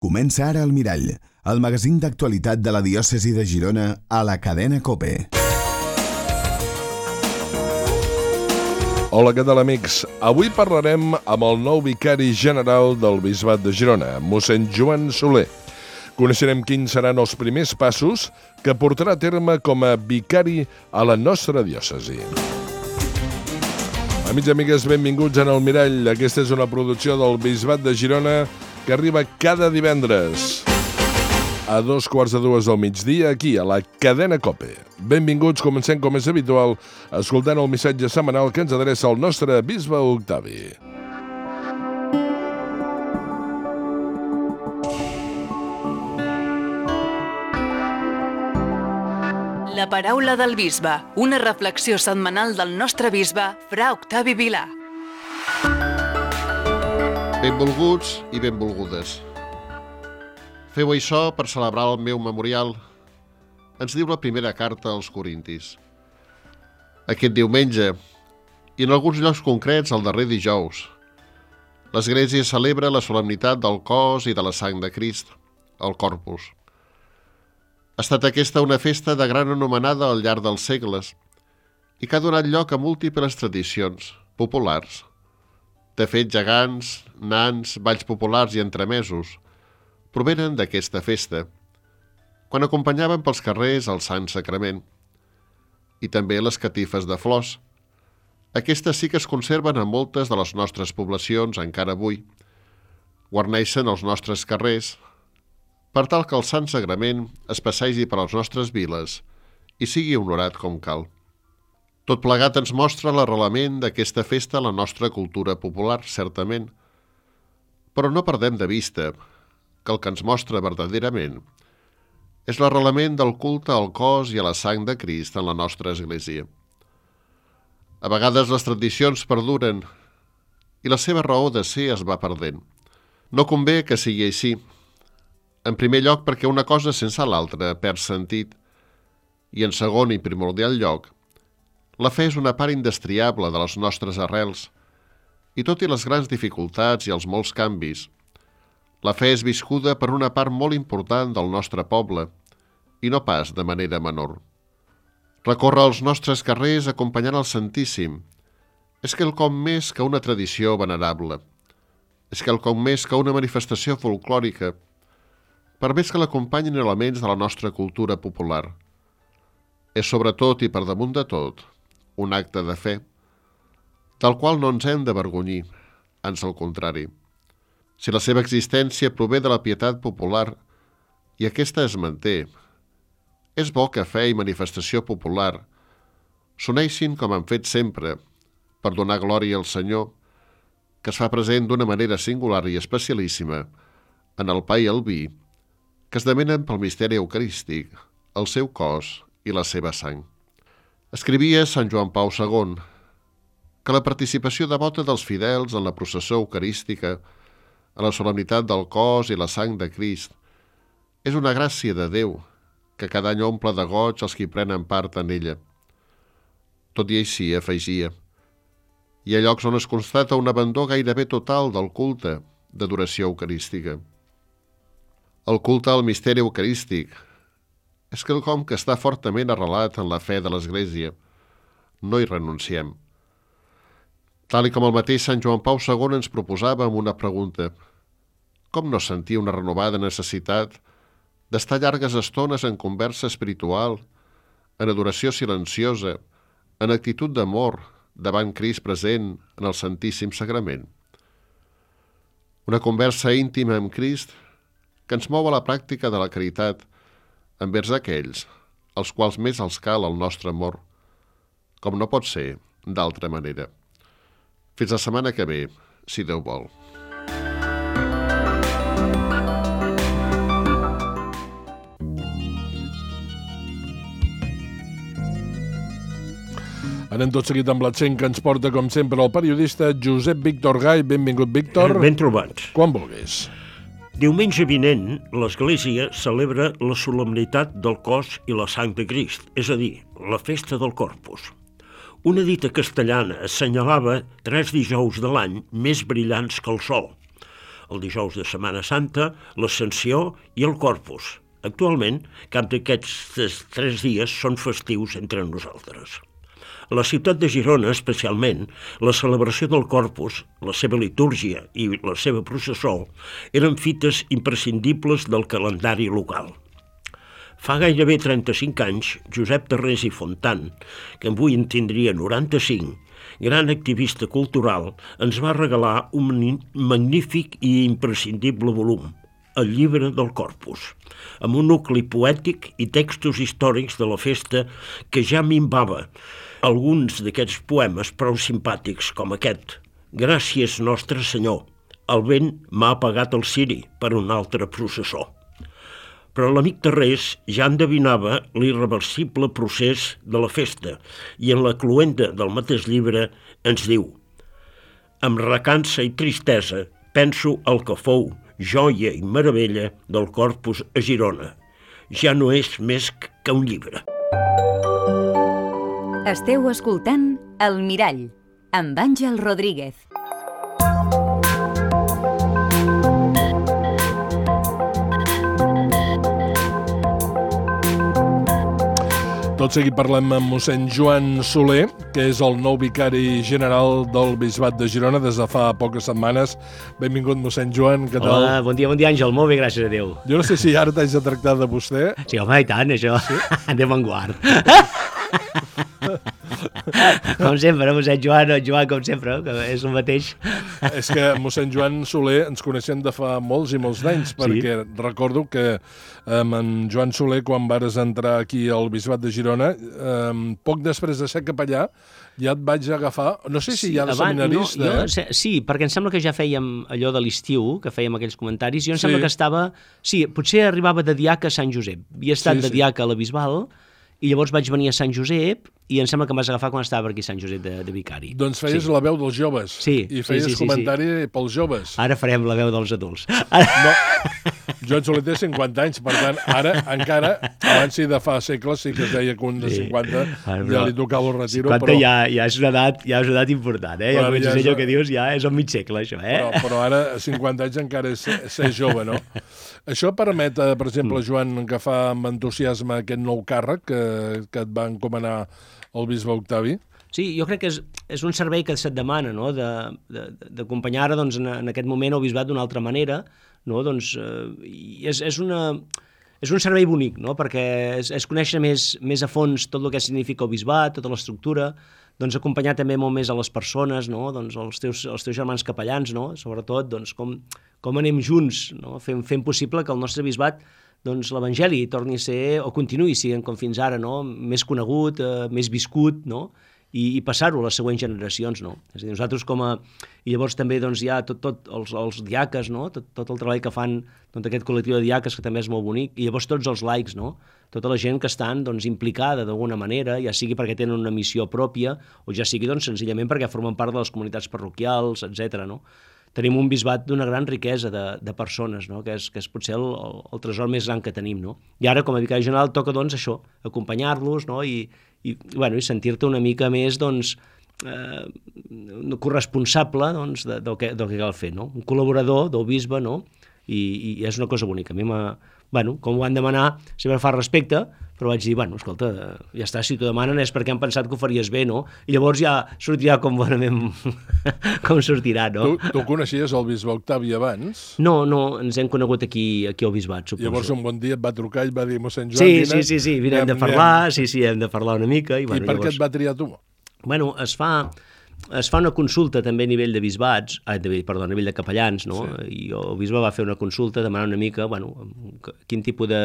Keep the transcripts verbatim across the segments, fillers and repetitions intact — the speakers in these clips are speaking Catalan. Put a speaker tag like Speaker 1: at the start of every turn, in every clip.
Speaker 1: Comença ara El Mirall, el magazín d'actualitat de la diòcesi de Girona a la cadena COPE.
Speaker 2: Hola, què tal, amics? Avui parlarem amb el nou vicari general del Bisbat de Girona, mossèn Joan Soler. Coneixerem quins seran els primers passos que portarà a terme com a vicari a la nostra diòcesi. Amics i amigues, benvinguts en El Mirall. Aquesta és una producció del Bisbat de Girona que arriba cada divendres a dos quarts de dues del migdia aquí, a la cadena COPE. Benvinguts, comencem com és habitual, escoltant el missatge setmanal que ens adreça el nostre bisbe Octavi.
Speaker 3: La paraula del bisbe, una reflexió setmanal del nostre bisbe, fra Octavi Vilà.
Speaker 4: Benvolguts i benvolgudes. Feu això per celebrar el meu memorial, ens diu la primera carta als Corintis. Aquest diumenge, i en alguns llocs concrets el darrer dijous, l'Església celebra la solemnitat del cos i de la sang de Crist, el Corpus. Ha estat aquesta una festa de gran anomenada al llarg dels segles i que ha donat lloc a múltiples tradicions populars. De fet, gegants, nans, balls populars i entremesos provenen d'aquesta festa, quan acompanyaven pels carrers el Sant Sagrament, i també les catifes de flors. Aquestes sí que es conserven en moltes de les nostres poblacions encara avui. Guarneixen els nostres carrers, per tal que el Sant Sagrament es passegi per les nostres viles i sigui honorat com cal. Tot plegat ens mostra l'arrelament d'aquesta festa a la nostra cultura popular, certament, però no perdem de vista que el que ens mostra verdaderament és l'arrelament del culte al cos i a la sang de Crist en la nostra Església. A vegades les tradicions perduren i la seva raó de ser es va perdent. No convé que sigui així. En primer lloc, perquè una cosa sense l'altra perd sentit, i en segon i primordial lloc, la fe és una part indestriable de les nostres arrels, i tot i les grans dificultats i els molts canvis, la fe és viscuda per una part molt important del nostre poble, i no pas de manera menor. Recórrer els nostres carrers acompanyant el Santíssim és quelcom més que una tradició venerable, és quelcom més que una manifestació folclòrica, per més que l'acompanyin elements de la nostra cultura popular. És sobretot i per damunt de tot un acte de fe, del qual no ens hem d'avergonyir, ans al contrari. Si la seva existència prové de la pietat popular i aquesta es manté, és bo que fe i manifestació popular s'uneixin com han fet sempre per donar glòria al Senyor, que es fa present d'una manera singular i especialíssima en el pa i el vi, que esdevenen pel misteri eucarístic, el seu cos i la seva sang. Escrivia Sant Joan Pau segon que la participació devota dels fidels en la processó eucarística, a la solemnitat del cos i la sang de Crist, és una gràcia de Déu que cada any omple de goig els qui prenen part en ella. Tot i així, afegia, hi ha llocs on es constata un abandó gairebé total del culte d'adoració eucarística. El culte al misteri eucarístic és quelcom que està fortament arrelat en la fe de l'Església. No hi renunciem. Tal i com el mateix Sant Joan Pau segon ens proposava amb una pregunta: com no sentir una renovada necessitat d'estar llargues estones en conversa espiritual, en adoració silenciosa, en actitud d'amor davant Crist present en el Santíssim Sagrament? Una conversa íntima amb Crist que ens mou a la pràctica de la caritat envers aquells als quals més els cal el nostre amor, com no pot ser d'altra manera. Fins la setmana que ve, si Déu vol.
Speaker 2: Anem tot seguit amb l'accent que ens porta, com sempre, el periodista Josep Víctor Gai. Benvingut, Víctor.
Speaker 5: Ben trobats.
Speaker 2: Quan vulguis.
Speaker 5: Diumenge vinent, l'Església celebra la solemnitat del cos i la sang de Crist, és a dir, la festa del Corpus. Una dita castellana assenyalava tres dijous de l'any més brillants que el sol. el dijous de Setmana Santa, l'Ascensió i el Corpus. Actualment, cap d'aquests tres dies són festius entre nosaltres. A la ciutat de Girona, especialment, la celebració del Corpus, la seva litúrgia i la seva processó eren fites imprescindibles del calendari local. Fa gairebé trenta-cinc anys, Josep Tarrés i Fontan, que avui en tindria noranta-cinc, gran activista cultural, ens va regalar un magnífic i imprescindible volum, el Llibre del Corpus, amb un nucli poètic i textos històrics de la festa que ja minvava. Alguns d'aquests poemes prou simpàtics com aquest: «Gràcies, Nostre Senyor, el vent m'ha apagat el ciri per un altre processó». Però l'amic Tarrés ja endevinava l'irreversible procés de la festa i en la cloenda del mateix llibre ens diu: «Amb recança i tristesa penso el que fou joia i meravella del Corpus a Girona. Ja no és més que un llibre».
Speaker 6: Esteu escoltant El Mirall, amb Àngel Rodríguez.
Speaker 2: Tot seguit parlem amb mossèn Joan Soler, que és el nou vicari general del Bisbat de Girona des de fa poques setmanes. Benvingut, mossèn Joan, què tal?
Speaker 7: Hola, bon dia, bon dia, Àngel, molt bé, gràcies a Déu.
Speaker 2: Jo no sé si ara t'haig de tractar de vostè.
Speaker 7: Sí, home, i tant, això, sí? D'avantguard. Com sempre, mossèn Joan, Joan, com sempre, que és el mateix.
Speaker 2: És que mossèn Joan Soler ens coneixem de fa molts i molts d'anys, perquè sí. Recordo que amb en Joan Soler, quan vares entrar aquí al Bisbat de Girona, eh, poc després de ser capellà, ja et vaig agafar, no sé si sí, ja de abans, seminarista...
Speaker 7: No, jo, sí, perquè em sembla que ja fèiem allò de l'estiu, que fèiem aquells comentaris, jo em
Speaker 2: sí.
Speaker 7: sembla que estava... Sí, potser arribava de diaca a Sant Josep. Havia estat sí, de diaca a la Bisbal, i llavors vaig venir a Sant Josep, i em sembla que em vas agafar quan estava per aquí a Sant Josep de, de vicari.
Speaker 2: Doncs feies sí. la veu dels joves,
Speaker 7: sí,
Speaker 2: i feies
Speaker 7: sí, sí,
Speaker 2: comentari
Speaker 7: sí, sí.
Speaker 2: pels joves.
Speaker 7: Ara farem la veu dels adults.
Speaker 2: No, Joan Soler té cinquanta anys, per tant, ara encara, abans sí de fa segles, sí que es deia que un de cinquanta ara, ja li tocava el retiro.
Speaker 7: cinquanta però... ja, ja, és una edat, ja és una edat important, eh? Ja comença a ser allò que dius, ja és un mig segle, això, eh?
Speaker 2: Però, però ara, a cinquanta anys, encara és ser jove, no? Això permet, per exemple, Joan, agafar amb entusiasme aquest nou càrrec que, que et va encomanar el bisbe Octavi?
Speaker 7: Sí, jo crec que és, és un servei que se't demana, no?, d'acompanyar doncs, en, en aquest moment el bisbat d'una altra manera, no?, doncs eh, és, és, una, és un servei bonic, no?, perquè és, és conèixer més, més a fons tot el que significa el bisbat, tota l'estructura, doncs acompanyar també molt més a les persones, no?, doncs els teus, els teus germans capellans, no?, sobretot, doncs com, com anem junts, no?, fent, fent possible que el nostre bisbat doncs l'Evangeli torni a ser, o continuï sent com fins ara, no?, més conegut, eh, més viscut, no?, i, i passar-ho a les següents generacions, no? És a dir, nosaltres com a... I llavors també doncs, hi ha tot, tot els, els diaques, no?, tot, tot el treball que fan doncs, aquest col·lectiu de diaques, que també és molt bonic, i llavors tots els laics, no?, tota la gent que estan doncs, implicada d'alguna manera, ja sigui perquè tenen una missió pròpia, o ja sigui doncs, senzillament perquè formen part de les comunitats parroquials, etcètera, no? Tenim un bisbat d'una gran riquesa de, de persones, no?, que és, que és potser el, el, el tresor més gran que tenim, no? I ara, com a vicari general, toca, doncs, això, acompanyar-los, no?, i, i, bueno, i sentir-te una mica més, doncs, eh, corresponsable, doncs, de, del, que, del que cal fer, no? Un col·laborador del bisbe, no?, i, i és una cosa bonica. A mi m'ha... Bueno, com ho van demanar, sempre fa respecte, però vaig dir, bueno, escolta, ja està, si t'ho demanen és perquè han pensat que ho faries bé, no? I llavors ja sortirà com bonament com sortirà, no?
Speaker 2: Tu, tu coneixies el bisbe Octavi abans?
Speaker 7: No, no, ens hem conegut aquí, aquí al bisbat, suposo.
Speaker 2: Llavors un bon dia et va trucar i va dir, mossèn Joan,
Speaker 7: sí,
Speaker 2: vine...
Speaker 7: Sí, sí, sí, vine, hem de parlar, sí, sí, hem de parlar una mica. I, bueno,
Speaker 2: I per
Speaker 7: llavors...
Speaker 2: què et va triar tu?
Speaker 7: Bueno, es fa... Es fa una consulta també a nivell de bisbats, ah, de, perdó, a nivell de capellans, no? Sí. I el bisbe va fer una consulta demanant una mica, bueno, quin tipus de,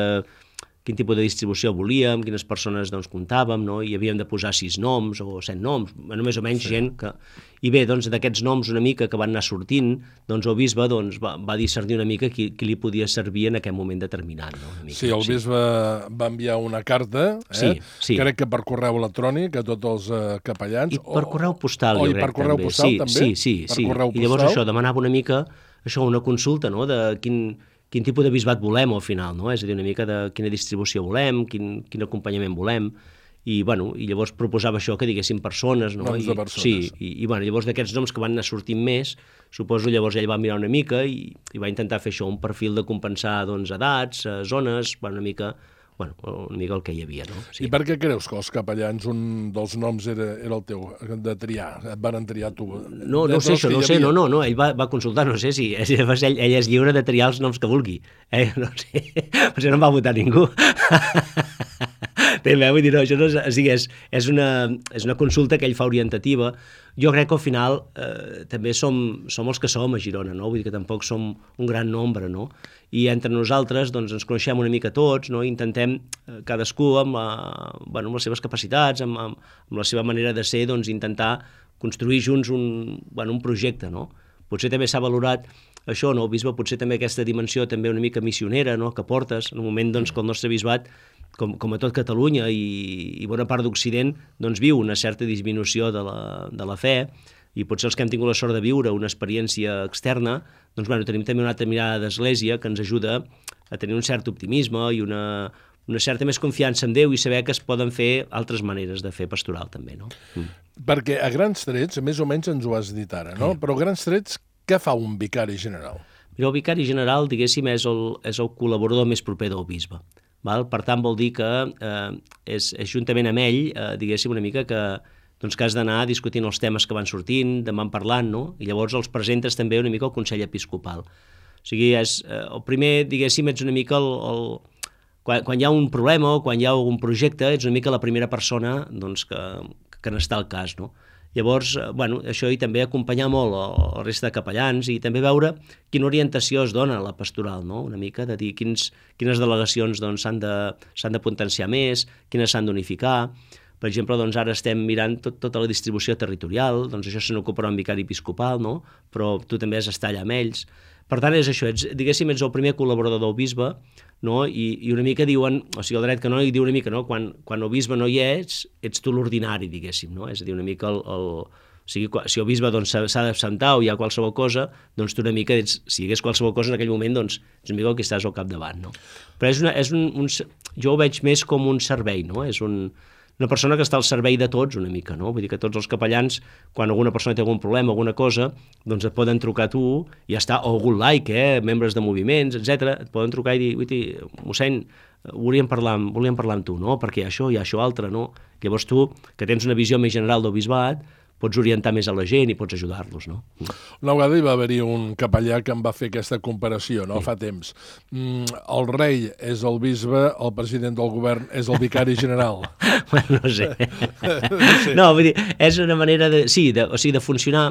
Speaker 7: quin tipus de distribució volíem, quines persones doncs, comptàvem, no? I havíem de posar sis noms o set noms, bueno, més o menys sí. gent que... I bé, doncs, d'aquests noms una mica que van anar sortint, doncs el bisbe doncs, va, va discernir una mica qui, qui li podia servir en aquest moment determinat. No? Una mica,
Speaker 2: sí, el bisbe sí. va enviar una carta, eh?
Speaker 7: sí, sí.
Speaker 2: crec que per correu electrònic a tots els uh, capellans.
Speaker 7: I per correu postal,
Speaker 2: o,
Speaker 7: jo
Speaker 2: crec,
Speaker 7: per
Speaker 2: correu
Speaker 7: també.
Speaker 2: postal
Speaker 7: sí,
Speaker 2: també?
Speaker 7: Sí, sí,
Speaker 2: per
Speaker 7: sí.
Speaker 2: Correu
Speaker 7: I llavors
Speaker 2: postal?
Speaker 7: això, demanava una mica, això, una consulta, no?, de quin... quin tipus de bisbat volem al final, no? És a dir, una mica de quina distribució volem, quin, quin acompanyament volem, i, bueno, i llavors proposava això, que diguéssim persones, no?
Speaker 2: Noms
Speaker 7: I,
Speaker 2: de persones.
Speaker 7: Sí, i, i bueno, llavors d'aquests noms que van anar sortint més, suposo llavors ell va mirar una mica i, i va intentar fer això, un perfil de compensar doncs, edats, eh, zones, bueno, una mica... Bueno, una mica el que hi havia, no? Sí.
Speaker 2: I per què creus que els capellans, un dels noms era, era el teu, de triar? Et van triar tu?
Speaker 7: No, no sé això, no sé, no, no, no, ell va, va consultar, no sé si ell, ell, ell és lliure de triar els noms que vulgui, eh? No sé, potser no em va votar ningú. També, vull dir, no, això no és, o sigui, és, és, una, és una consulta que ell fa orientativa. Jo crec que al final eh, també som, som els que som a Girona, no? Vull dir que tampoc som un gran nombre, no? I entre nosaltres doncs, ens coneixem una mica tots, no? I intentem eh, cadascú amb, la, bueno, amb les seves capacitats, amb, amb, amb la seva manera de ser, doncs, intentar construir junts un, bueno, un projecte, no? Potser també s'ha valorat això, no? El bisbe, potser també aquesta dimensió també una mica missionera, no? Que portes en un moment doncs, que el nostre bisbat, com, com a tot Catalunya i, i bona part d'Occident, doncs viu una certa disminució de la, de la fe, i potser els que hem tingut la sort de viure una experiència externa, doncs bueno, tenim també una altra mirada d'Església que ens ajuda a tenir un cert optimisme i una, una certa més confiança en Déu i saber que es poden fer altres maneres de fer pastoral també, no? Mm.
Speaker 2: Perquè a grans trets, més o menys ens ho has dit ara, no? Sí. Però a grans trets, què fa un vicari general?
Speaker 7: Mira, el vicari general, diguéssim, és el, és el col·laborador més proper del bisbe. Val? Per tant, vol dir que eh, és, és juntament amb ell, eh, diguéssim, una mica que, doncs, que has d'anar discutint els temes que van sortint, de van parlant, no? I llavors els presentes també una mica al Consell Episcopal. O sigui, és, eh, el primer, diguéssim, ets una mica el... el quan, quan hi ha un problema o quan hi ha algun projecte, ets una mica la primera persona doncs, que, que n'està al cas, no? Llavors, bueno, això i també acompanyar molt la resta de capellans i també veure quina orientació es dona a la pastoral, no? Una mica de dir quins, quines delegacions doncs, s'han de, s'han de potenciar més, quines s'han d'unificar. Per exemple, doncs, ara estem mirant tot, tota la distribució territorial, doncs això se n'ocuparà un vicari episcopal, no? Però tu també has d'estar allà amb ells. Per tant, és això, ets, diguéssim, ets el primer col·laborador del bisbe, no? I, i una mica diuen, o sigui, el dret canònic diu una mica, no? Quan, quan el bisbe no hi ets, ets tu l'ordinari, diguéssim, no? És a dir, una mica el... el o sigui, si el bisbe doncs, s'ha d'absentar o hi ha qualsevol cosa, doncs tu una mica, ets, si hi hagués qualsevol cosa en aquell moment, doncs és una mica el que estàs al capdavant, no? Però és una, és un, un, jo ho veig més com un servei, no? És un... una persona que està al servei de tots una mica, no? Vull dir que tots els capellans, quan alguna persona té algun problema, alguna cosa, doncs et poden trucar a tu, i ja està, o algun laic, eh? Membres de moviments, etcètera, et poden trucar i dir, ui, mossèn, volíem parlar, volíem parlar amb tu, no? Perquè hi ha això, hi ha això altre, no? Llavors tu, que tens una visió més general del bisbat, pots orientar més a la gent i pots ajudar-los, no?
Speaker 2: Una vegada hi va haver-hi un capellà que em va fer aquesta comparació, no? Sí. Fa temps. Mm, el rei és el bisbe, el president del govern és el vicari general.
Speaker 7: Bueno, no sé. no, sé. No, vull dir, és una manera de... Sí, de, o sigui, de funcionar...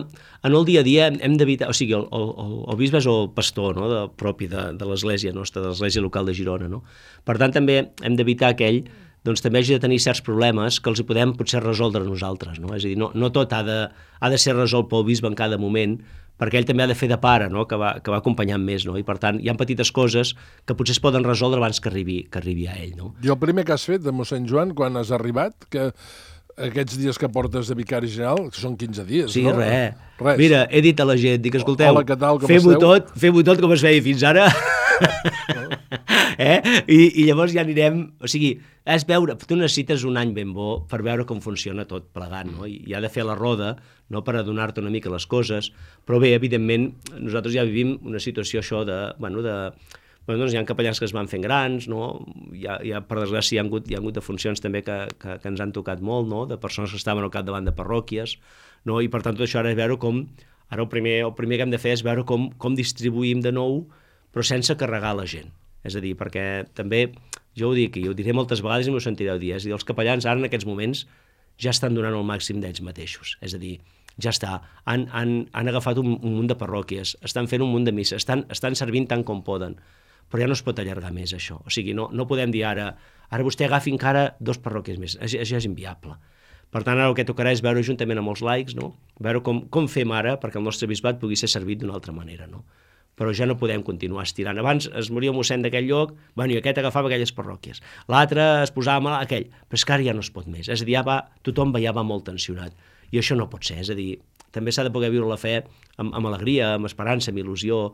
Speaker 7: En el dia a dia hem d'evitar... O sigui, el, el, el bisbe és el pastor, no?, de, propi de, de l'església nostra, de l'església local de Girona, no? Per tant, també hem d'evitar que ell doncs també hagi de tenir certs problemes que els hi podem potser resoldre nosaltres, no? És a dir, no, no tot ha de, ha de ser resolt pel bisbe en cada moment, perquè ell també ha de fer de pare, no? que, va, que va acompanyant més, no? I per tant hi ha petites coses que potser es poden resoldre abans que arribi, que arribi a ell, no?
Speaker 2: I el primer que has fet de mossèn Joan, quan has arribat, que aquests dies que portes de vicari general, que són quinze dies,
Speaker 7: sí,
Speaker 2: no?
Speaker 7: Sí, res.
Speaker 2: res.
Speaker 7: Mira, he dit a la gent, dic, escolteu,
Speaker 2: hola, què tal, com
Speaker 7: fem-ho
Speaker 2: esteu?
Speaker 7: tot, fem-ho tot com es feia fins ara. eh? I, I llavors ja anirem... O sigui, és veure... Tu necessites un any ben bo per veure com funciona tot plegant, no? I, i ha de fer la roda, no?, per adonar-te una mica les coses. Però bé, evidentment, nosaltres ja vivim una situació això de... Bueno, de Bueno, doncs hi ha capellans que es van fent grans, no? Hi ha, hi ha, per desgràcia, hi ha hagut, hi ha hagut defuncions també que, que, que ens han tocat molt, no? De persones que estaven al capdavant de parròquies, no? I per tant tot això ara és veure com, ara el primer, el primer que hem de fer és veure com, com distribuïm de nou, però sense carregar la gent. És a dir, perquè també, jo ho dic, i ho diré moltes vegades i m'ho sentireu dir, és a dir, els capellans ara en aquests moments ja estan donant el màxim d'ells mateixos, és a dir, ja està, han, han, han agafat un, un munt de parròquies, estan fent un munt de misses, estan, estan servint tant com poden, però ja no es pot allargar més això. O sigui, no, no podem dir ara, ara vostè agafi encara dos parròquies més, això ja és inviable. Per tant, ara el que tocarà és veure juntament amb els laics, no? Veure com, com fem ara perquè el nostre bisbat pugui ser servit d'una altra manera, no? Però ja no podem continuar estirant. Abans es moria el mossèn d'aquell lloc, bueno, i aquest agafava aquelles parròquies. L'altre es posava mal aquell, però és que ara ja no es pot més. És a dir, ja va, tothom ja va molt tensionat. I això no pot ser, és a dir, també s'ha de poder viure la fe amb, amb alegria, amb esperança, amb il·lusió.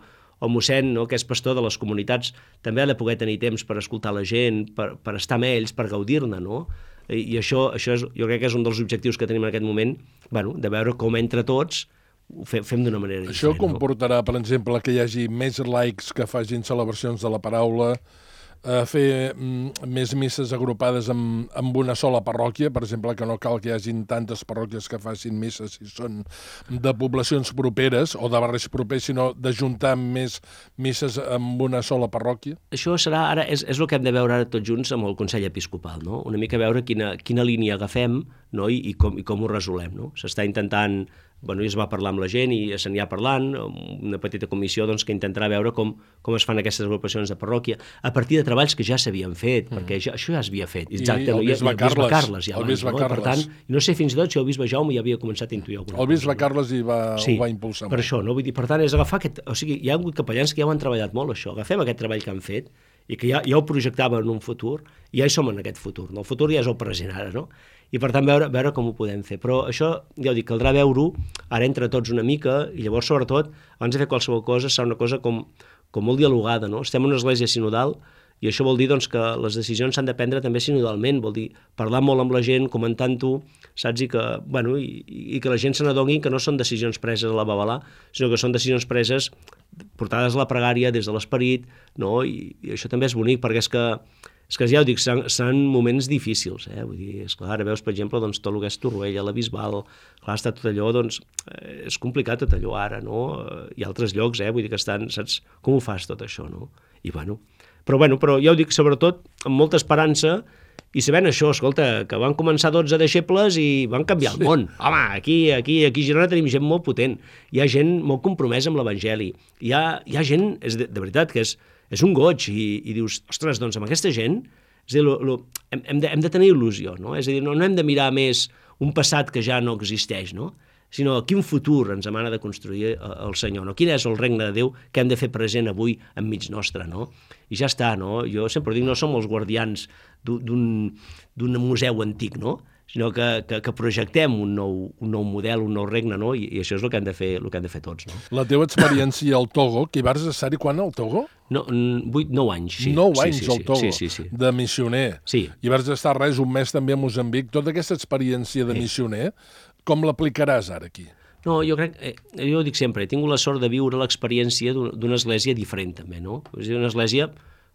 Speaker 7: El mossèn, no?, que és pastor de les comunitats, també ha de poder tenir temps per escoltar la gent, per, per estar amb ells, per gaudir-ne, no? I, i això, això és, jo crec que és un dels objectius que tenim en aquest moment, bueno, de veure com entre tots ho fem, fem d'una manera
Speaker 2: diferent. Això comportarà,
Speaker 7: no?
Speaker 2: per exemple, que hi hagi més laics que facin celebracions de la paraula, a fer mm, més misses agrupades amb, amb una sola parròquia, per exemple, que no cal que hi hagin tantes parròquies que facin misses si són de poblacions properes o de barris propers, sinó d'ajuntar més misses amb una sola parròquia?
Speaker 7: Això serà ara, és, és el que hem de veure ara tots junts amb el Consell Episcopal, no? Una mica veure quina, quina línia agafem, no? I, i, com, i com ho resolem, no? S'està intentant, bueno, es va parlar amb la gent i se n'hi ha parlant, una petita comissió doncs, que intentarà veure com, com es fan aquestes agrupacions de parròquia, a partir de treballs que ja s'havien fet, mm. perquè això, això ja s'havia fet. Exacte,
Speaker 2: I el bisbe Carles,
Speaker 7: Carles, ja
Speaker 2: el bisbe
Speaker 7: abans, no?
Speaker 2: Carles.
Speaker 7: Per tant, no sé fins i tot si el bisbe Jaume ja havia començat a intuir alguna cosa.
Speaker 2: El bisbe Carles hi va,
Speaker 7: sí,
Speaker 2: ho va impulsar
Speaker 7: per
Speaker 2: molt.
Speaker 7: això, no? Vull dir, per tant, és agafar aquest... O sigui, hi ha hagut capellans que ja ho han treballat molt, això. Agafem aquest treball que han fet i que ja, ja ho projectaven en un futur, i ja hi som en aquest futur. No? El futur ja és el present ara, no? I per tant veure, veure com ho podem fer. Però això, ja ho dic, caldrà veure-ho ara entre tots una mica, i llavors sobretot, abans de fer qualsevol cosa, serà una cosa com, com molt dialogada, no? Estem en una església sinodal, i això vol dir doncs, que les decisions s'han de prendre també sinodalment, vol dir parlar molt amb la gent, comentant-ho, saps? I que, bueno, i, i que la gent se n'adoni que no són decisions preses a la babalà, sinó que són decisions preses portades a la pregària des de l'esperit, no? I, i això també és bonic, perquè és que És que ja ho dic, seran moments difícils, eh? Vull dir, esclar, ara veus, per exemple, doncs, tot el que és Torroella, la Bisbal, clar, està tot allò, doncs, eh, és complicat tot allò ara, no? Hi ha altres llocs, eh? Vull dir que estan, saps, com ho fas tot això, no? I bueno, però bueno, però ja ho dic, sobretot, amb molta esperança, i sabent això, escolta, que van començar dotze deixebles i van canviar el món. Home, aquí, aquí, aquí a Girona tenim gent molt potent, hi ha gent molt compromesa amb l'Evangeli, hi ha, hi ha gent, és de, de veritat, que és, és un goig, i, i dius, ostres, doncs amb aquesta gent, és a dir, lo, lo, hem, hem, de, hem de tenir il·lusió, no? És a dir, no, no hem de mirar més un passat que ja no existeix, no? Sinó quin futur ens emana de construir el Senyor, no? Quin és el regne de Déu que hem de fer present avui enmig nostre, no? I ja està, no? Jo sempre dic, no som els guardians d'un museu antic, no? Sinó que, que, que projectem un nou, un nou model, un nou regne, no? I, i això és el que han de fer, el que han de fer tots, no?
Speaker 2: La teva experiència al Togo, que hi vas estar-hi quan al Togo?
Speaker 7: No, vuit, nou anys, sí.
Speaker 2: Nou
Speaker 7: sí,
Speaker 2: anys
Speaker 7: sí,
Speaker 2: al Togo,
Speaker 7: sí, sí, sí.
Speaker 2: de missioner.
Speaker 7: Sí.
Speaker 2: I vas estar res, un mes també a Moçambic. Tota aquesta experiència de sí. missioner, com l'aplicaràs ara aquí?
Speaker 7: No, jo crec, eh, jo ho dic sempre, he tingut la sort de viure l'experiència d'una església diferent també, no? És a dir, una església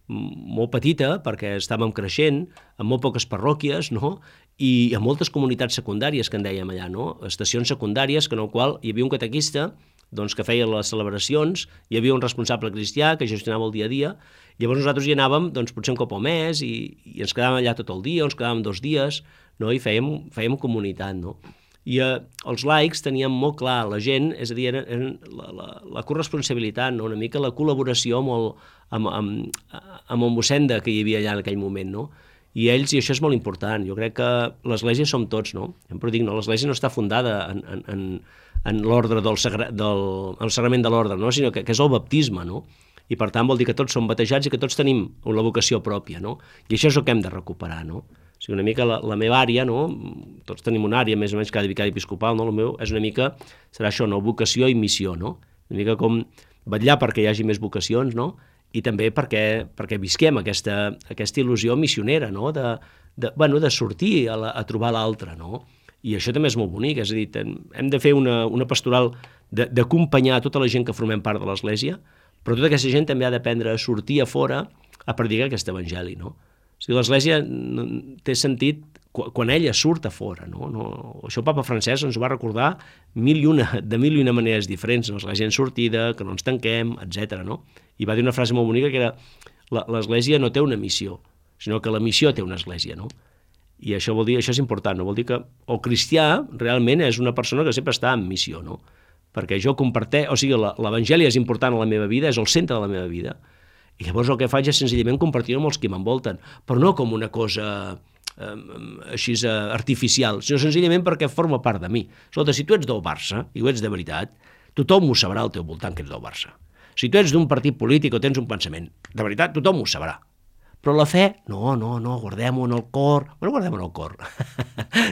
Speaker 7: molt petita, perquè estàvem creixent, amb molt poques parròquies, no? I amb moltes comunitats secundàries, que en dèiem allà, no? Estacions secundàries, que en el qual hi havia un catequista doncs, que feia les celebracions, hi havia un responsable cristià que gestionava el dia a dia, llavors nosaltres hi anàvem doncs, potser un cop al mes i, i ens quedàvem allà tot el dia, o ens quedàvem dos dies, no? I fèiem, fèiem comunitat, no? I eh, els laics teníem molt clar, la gent, és a dir, eren, eren la, la, la corresponsabilitat, no? Una mica la col·laboració amb el, amb, amb, amb el mossèn que hi havia allà en aquell moment, no? I ells, i això és molt important, jo crec que l'Església som tots, no? Sempre dic, no, l'Església no està fundada en, en, en, en l'ordre del, sagra, del el sagrament de l'ordre, no? Sinó que, que és el baptisme, no? I per tant vol dir que tots som batejats i que tots tenim una vocació pròpia, no? I això és el que hem de recuperar, no? O sigui, una mica la, la meva àrea, no? Tots tenim una àrea més o menys cada vicari episcopal, no? El meu és una mica, serà això, no? Vocació i missió, no? Una mica com vetllar perquè hi hagi més vocacions, no? I també perquè, perquè visquem aquesta, aquesta il·lusió missionera, no? De, de, bueno, de sortir a, la, a trobar l'altre, no? I això també és molt bonic, és a dir, hem de fer una, una pastoral d'acompanyar tota la gent que formem part de l'Església, però tota aquesta gent també ha d'aprendre a sortir a fora a predicar aquest evangeli, no? O sigui, l'Església té sentit quan ella surt a fora, no? No, això el papa Francesc ens ho va recordar mil i una, de mil i una maneres diferents, no? La gent sortida, que no ens tanquem, etcètera, no? I va dir una frase molt bonica que era l'Església no té una missió, sinó que la missió té una església, no? I això vol dir, això és important, no? Vol dir que el cristià realment és una persona que sempre està en missió, no? Perquè jo comparteix, o sigui, l'evangeli és important a la meva vida, és el centre de la meva vida, i llavors el que faig és senzillament compartir-ho amb els que m'envolten, però no com una cosa eh, així eh, artificial, sinó senzillament perquè forma part de mi. Escolta, si tu ets del Barça, i ho ets de veritat, tothom ho sabrà al teu voltant que ets del Barça. Si tu ets d'un partit polític o tens un pensament, de veritat, tothom ho sabrà. Però la fe, no, no, no, guardem-ho en el cor. Bueno, guardem-ho en el cor.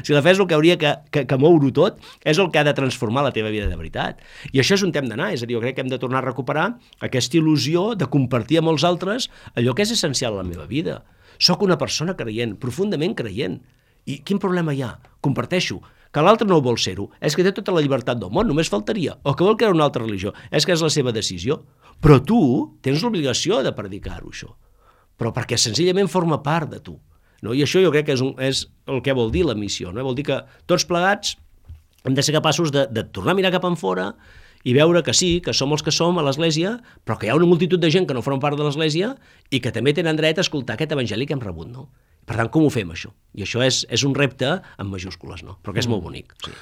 Speaker 7: Si la fe és el que hauria que, que, que moure-ho tot, és el que ha de transformar la teva vida de veritat. I això és on hem d'anar, és a dir, jo crec que hem de tornar a recuperar aquesta il·lusió de compartir amb els altres allò que és essencial a la meva vida. Soc una persona creient, profundament creient. I quin problema hi ha? Comparteixo. Que l'altre no vol ser-ho, és que té tota la llibertat del món, només faltaria. O que vol crear una altra religió, és que és la seva decisió. Però tu tens l'obligació de predicar-ho, això. Però perquè senzillament forma part de tu. No? I això jo crec que és, un, és el que vol dir la missió. No? Vol dir que tots plegats hem de ser capaços de, de tornar a mirar cap enfora i veure que sí, que som els que som a l'Església, però que hi ha una multitud de gent que no formen part de l'Església i que també tenen dret a escoltar aquest evangeli que hem rebut, no? Per tant, com ho fem, això? I això és, és un repte amb majúscules, no? Però que és molt bonic. Sí.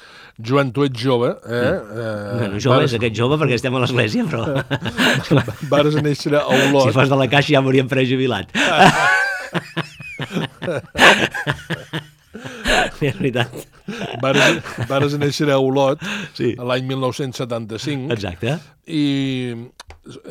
Speaker 2: Joan, tu ets jove, eh?
Speaker 7: Sí. Eh bueno, jove vares... és aquest jove perquè estem a l'Església, però...
Speaker 2: Vares néixer a Olot.
Speaker 7: Si fos de la Caixa ja m'hauríem prejubilat. És veritat.
Speaker 2: Vares, vares néixer a Olot
Speaker 7: sí.
Speaker 2: l'any mil nou-cents setanta-cinc.
Speaker 7: Exacte.
Speaker 2: I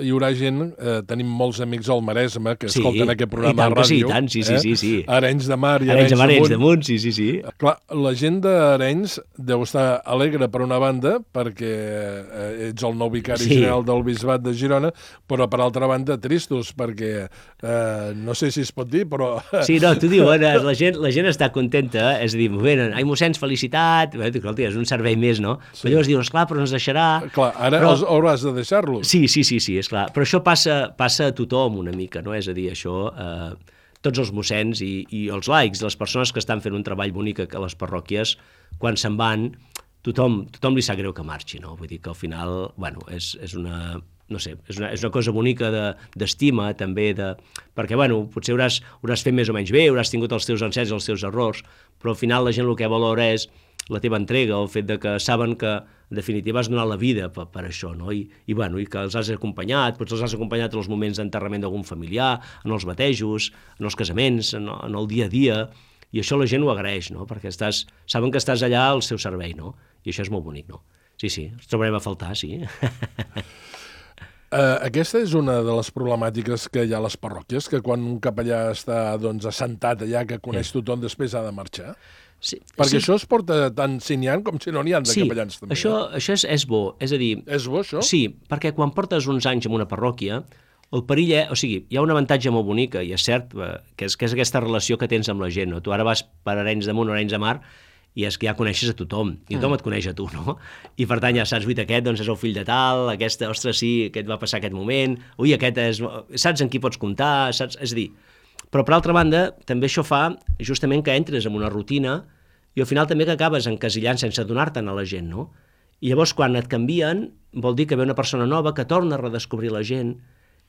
Speaker 2: hi haurà gent, eh, tenim molts amics al Maresme que
Speaker 7: sí,
Speaker 2: escolten aquest programa a ràdio.
Speaker 7: Sí, i tant, sí, sí, sí, sí.
Speaker 2: Arenys de Mar i
Speaker 7: Arenys
Speaker 2: Arenys de Munt.
Speaker 7: Arenys de Munt, sí, sí, sí.
Speaker 2: Clar, la gent d'Arenys deu estar alegre per una banda perquè eh, ets el nou vicari sí. general del Bisbat de Girona, però per altra banda tristos perquè eh, no sé si es pot dir, però...
Speaker 7: Sí, no, tu dius, la gent, la gent està contenta, és a dir, venen, ai, mossèns, felicitat, bé, escolta, és un servei més, no? Sí. Però llavors dius, esclar, però ens deixarà...
Speaker 2: Clar, ara però... els hauràs de deixar-los.
Speaker 7: Sí, sí, sí, sí, esclar. Però això passa, passa a tothom una mica, no? És a dir, això, eh, tots els mossens i, i els laics, les persones que estan fent un treball bonic a les parròquies, quan se'n van, tothom, tothom li sap greu que marxi, no? Vull dir que al final, bueno, és, és una... no sé, és una, és una cosa bonica d'estima, de, també, de, perquè, bueno, potser hauràs, hauràs fet més o menys bé, hauràs tingut els teus encerts i els teus errors, però al final la gent el que valora és la teva entrega, el fet de que saben que, en definitiva, has donat la vida per, per això, no? I, i, bueno, i que els has acompanyat, potser els has acompanyat en els moments d'enterrament d'algun familiar, en els batejos, en els casaments, en, en el dia a dia, i això la gent ho agraeix, no? Perquè estàs, saben que estàs allà al seu servei, no? I això és molt bonic, no? Sí, sí, ens trobarem a faltar, sí.
Speaker 2: Uh, aquesta és una de les problemàtiques que hi ha a les parròquies, que quan un capellà està doncs, assentat allà, que coneix sí. tothom, després ha de marxar.
Speaker 7: Sí,
Speaker 2: Perquè
Speaker 7: sí.
Speaker 2: això es porta tant si n'hi ha com si no n'hi ha de
Speaker 7: sí,
Speaker 2: capellans també.
Speaker 7: Això,
Speaker 2: eh?
Speaker 7: això és, és bo, és a dir...
Speaker 2: És bo, això?
Speaker 7: Sí, perquè quan portes uns anys en una parròquia, el perill és... O sigui, hi ha un avantatge molt bonica, i és cert, que és, que és aquesta relació que tens amb la gent, no? Tu ara vas per Arenys de Munt o Arenys de Mar, i és que ja coneixes a tothom, i tothom mm. et coneix a tu, no? I per tant ja saps, ui, aquest doncs és el fill de tal, aquesta, ostres, sí, aquest va passar aquest moment, ui, aquest és... Saps en qui pots comptar, saps? És a dir, però per altra banda, també això fa justament que entres en una rutina i al final també que acabes encasillant sense adonar-te'n a la gent, no? I llavors quan et canvien vol dir que ve una persona nova que torna a redescobrir la gent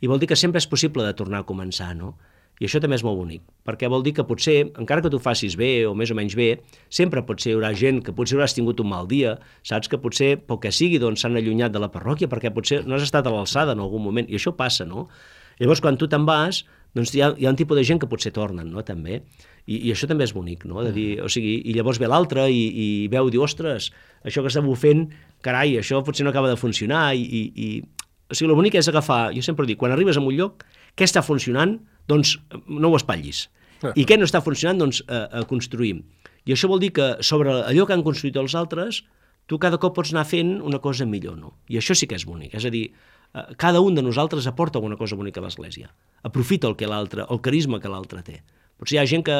Speaker 7: i vol dir que sempre és possible de tornar a començar, no? I això també és molt bonic, perquè vol dir que potser, encara que tu facis bé o més o menys bé, sempre potser hi haurà gent que potser hauràs tingut un mal dia, saps que potser, pel que sigui, doncs s'han allunyat de la parròquia perquè potser no has estat a l'alçada en algun moment, i això passa, no? Llavors, quan tu te'n vas, doncs hi ha, hi ha un tipus de gent que potser tornen, no?, també. I, i això també és bonic, no?, de dir, o sigui, i llavors ve l'altre i, i veu, diu, ostres, això que estàveu fent, carai, això potser no acaba de funcionar, i, i, i... o sigui, el bonic és agafar, jo sempre dic, quan arribes a un lloc, què està funcionant, doncs no ho espatllis. I què no està funcionant, doncs a, a construir. I això vol dir que sobre allò que han construït els altres, tu cada cop pots anar fent una cosa millor, no? I això sí que és bonic. És a dir, cada un de nosaltres aporta alguna cosa bonica a l'Església. Aprofita el que l'altre, el carisma que l'altre té. Potser hi ha gent que,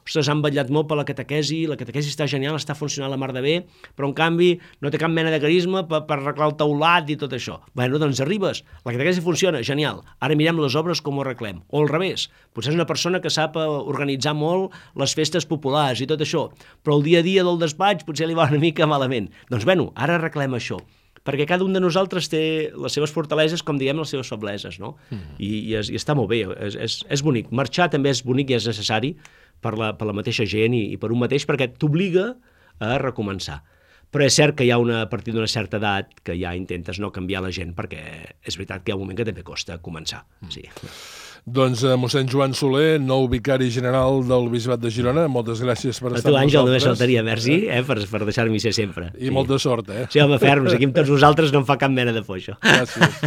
Speaker 7: ostres, han vetllat molt per la catequesi, la catequesi està genial, està funcionant la mar de bé, però en canvi no té cap mena de carisma per, per arreglar el teulat i tot això. Bé, doncs arribes, la catequesi funciona, genial, ara mirem les obres com ho arreglem. O al revés, potser és una persona que sap organitzar molt les festes populars i tot això, però el dia a dia del despatx potser li va una mica malament. Doncs bé, ara arreglem això. Perquè cada un de nosaltres té les seves fortaleses, com diguem, les seves febleses, no? Mm. I, i, és, i està molt bé, és, és, és bonic. Marxar també és bonic i és necessari per la, per la mateixa gent i, i per un mateix, perquè t'obliga a recomençar. Però és cert que hi ha una, a partir d'una certa edat que ja intentes no canviar la gent, perquè és veritat que hi ha un moment que també costa començar. Mm. Sí.
Speaker 2: Doncs eh, mossèn Joan Soler, nou vicari general del Bisbat de Girona, moltes gràcies per
Speaker 7: a
Speaker 2: estar
Speaker 7: tu,
Speaker 2: amb
Speaker 7: Àngel,
Speaker 2: nosaltres.
Speaker 7: només faltaria, merci, eh, per, per deixar-m'hi ser sempre.
Speaker 2: I
Speaker 7: sí.
Speaker 2: molta sort, eh?
Speaker 7: Sí, home, ferms, aquí amb tots vosaltres no em fa cap mena de por, això.
Speaker 2: Gràcies.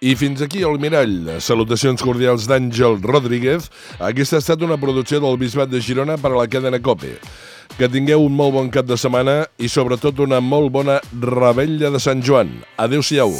Speaker 2: I fins aquí el Mirall. Salutacions cordials d'Àngel Rodríguez. Aquesta ha estat una producció del Bisbat de Girona per a la cadena COPE. Que tingueu un molt bon cap de setmana i sobretot una molt bona revetlla de Sant Joan. Adéu-siau.